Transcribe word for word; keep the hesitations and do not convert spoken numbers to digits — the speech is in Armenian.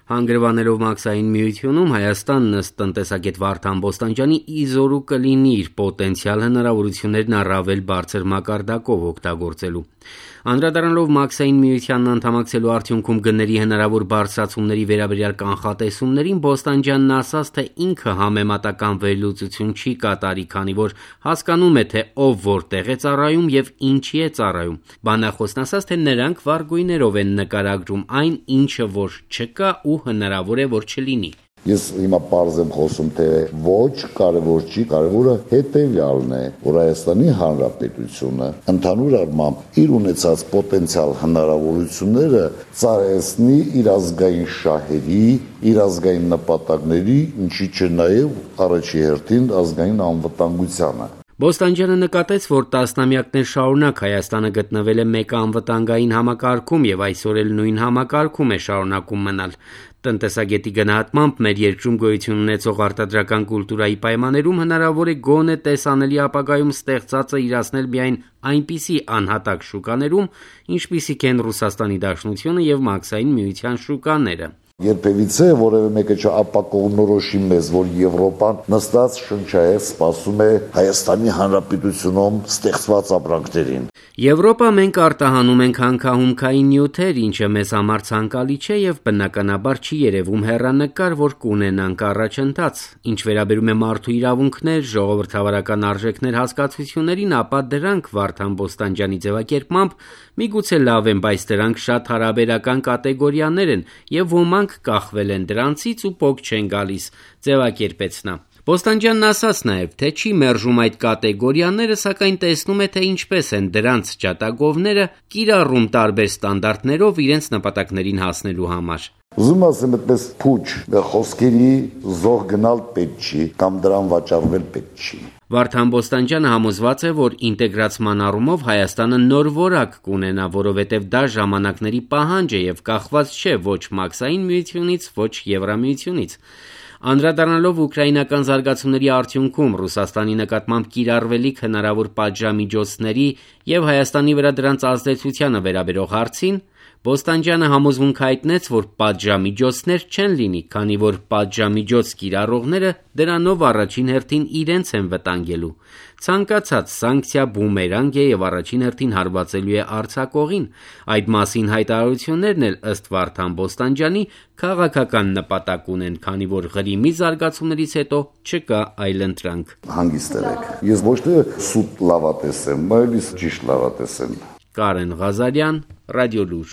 Հանգրվանելով Մաքսային միությունում, Հայաստանն ըստ տնտեսագետ Վարդան Բոստանջյանի իզորու կլինի իր պոտենցիալ հնարավորություններն առավել բարձր մակարդակով օգտագործելու։ Անդրադառնալով Մաքսային միությանն անդամակցելու արդյունքում գների հնարավոր բարձրացումների վերաբերյալ կանխատեսումներին, Բոստանջյանն ասաց, թե ինքը համեմատական վերլուծություն չի կատարի, քանի որ հասկանում է, թե ով որտեղ է ծառայում եւ ինչի է ծառայում։ Բանախոսն ասաց, թե նրանք վառ գույներով են նկարագրում այն, ինչը որ չկա ու հնարավոր է որ չլինի։ Ես հիմա պարզ եմ խոսում, թե ոչ, կարևոր չի, կարևորը հետևյալն է, որ Հայաստանի Հանրապետությունը ընդհանուր առմամբ իր ունեցած պոտենցիալ հնարավորությունները ծառայեցնի իր ազգային շահերի, իր ազգային նպատակների, ինչի չէ նաև առաջի հերթին ազգային անվտանգությանը։ Բոստանջյանը նկատեց, որ տասնամյակներ շարունակ Հայաստանը գտնվել է մեկ անվտանգային համակարգում եւ այսօր էլ նույն համակարգում է շարունակում մնալ։ Տնտեսագետի գնահատմամբ մեր երկրում գոյություն ունեցող արտադրական կուլտուրայի պայմաններում հնարավոր է գոնե տեսանելի ապագայում ստեղծածը իրացնել միայն այնպիսի անհատակ շուկաներում, ինչպիսիք են Ռուսաստանի Դաշնությունը եւ Մաքսային միության շուկաները։ Երբևիցե որևէ մեկը չապակողնորոշի մեզ, որ Եվրոպան նստած շնչահեղ սպասում է Հայաստանի Հանրապետությունում ստեղծված ապրանքներին։ Եվրոպա մենք արտահանում ենք հանքահումքային նյութեր, ինչը մեզ համար ցանկալի չէ եւ բնականաբար չի երևում հեռանկար, որ կունենանք առաջընթաց։ Ինչ վերաբերում է մարդու իրավունքներ, ժողովրդավարական արժեքներ հասկացություններին, ապա դրանք Վարդան Բոստանջյանի ձևակերպմամբ միգուցե լավ են, բայց դրանք շատ հարաբերական կատեգորիաներ են եւ ոմանք կախվել են դրանցից ու փոք չեն գալիս, ձևակերպեց նա։ Բոստանջյանն ասաց նաև, թե չի մերժում այդ կատեգորիաները, սակայն տեսնում է, թե ինչպես են դրանց ջատագովները կիրառում տարբեր ստանդարտներով իրենց նպատակներին հասնելու համար։ Ուզում ասեմ, այդպես փուչ խոսքերի զոհ գնալ պետք չի, կամ դրան վաճառվել պետք չի։ Վարդան Բոստանջյանը համոզված է, որ ինտեգրացման առումով Հայաստանը նոր որակ կունենա, որովհետև դա ժամանակների պահանջ է եւ կախված չէ ոչ Մաքսային միությունից, ոչ Եվրամիությունից։ Անդրադառնալով ուկրաինական զարգացումների արդյունքում Ռուսաստանի նկատմամբ կիրառվելիք հնարավոր պատժամիջոցների եւ Հայաստանի վրա դրանց ազդեցությանը վերաբերող հարցին, Բոստանջյանը համոզմունք հայտնեց, որ պատժամիջոցներ չեն լինի, քանի որ պատժամիջոց կիրառողները դրանով առաջին հերթին իրենց են վտանգելու։ Ցանկացած սանկցիա բումերանգ է եւ առաջին հերթին հարվածելու է արձակողին։ Այդ մասին հայտարարություններն էլ ըստ Վարդան Բոստանջյանի քաղաքական նպատակ ունեն, քանի որ Ղրիմի զարգացումներից հետո չկա այլընտրանք։ Հանգիստ եղեք։ Ես ոչ թե սուտ լավատես եմ, այլ ճիշտ լավատես եմ։ Կարեն Ղազարյան, Ռադիոլուր։